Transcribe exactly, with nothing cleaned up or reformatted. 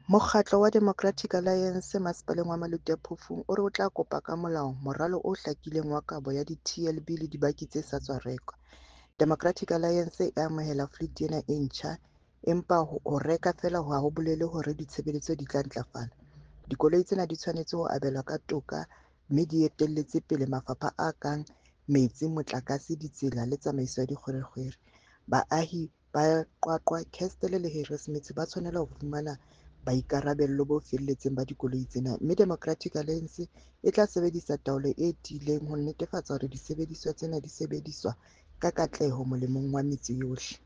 Mokgatlo wa Democratic Alliance Masepaleng wa Maluti-a-Phofung o re o tla kopa ka molao moralo o hlakileng wa kabo ya di-T L B le dibaki tse sa tswa rekwa. Democratic Alliance e amohela fleet ena e ntjha, empa ho reka feela ha ho bolele hore ditshebeletso di tla ntlafala. Dikoloi tsena di tshwanetse ho abelwa ka toka mme di etelletse pele mafapha a kang metsi, motlakase, ditsela le tsamaiso ya dikgwerekgwere. Baahi ba QwaQwa, Kestell le Harrismith ba tshwanela ho fumana boikarabello bo felletseng ba dikoloi tsena, mme Democratic Alliance e tla sebedisa taolo e tiileng ho netefatsa hore disebediswa tsena di sebediswa ka katleho molemong wa metse yohle.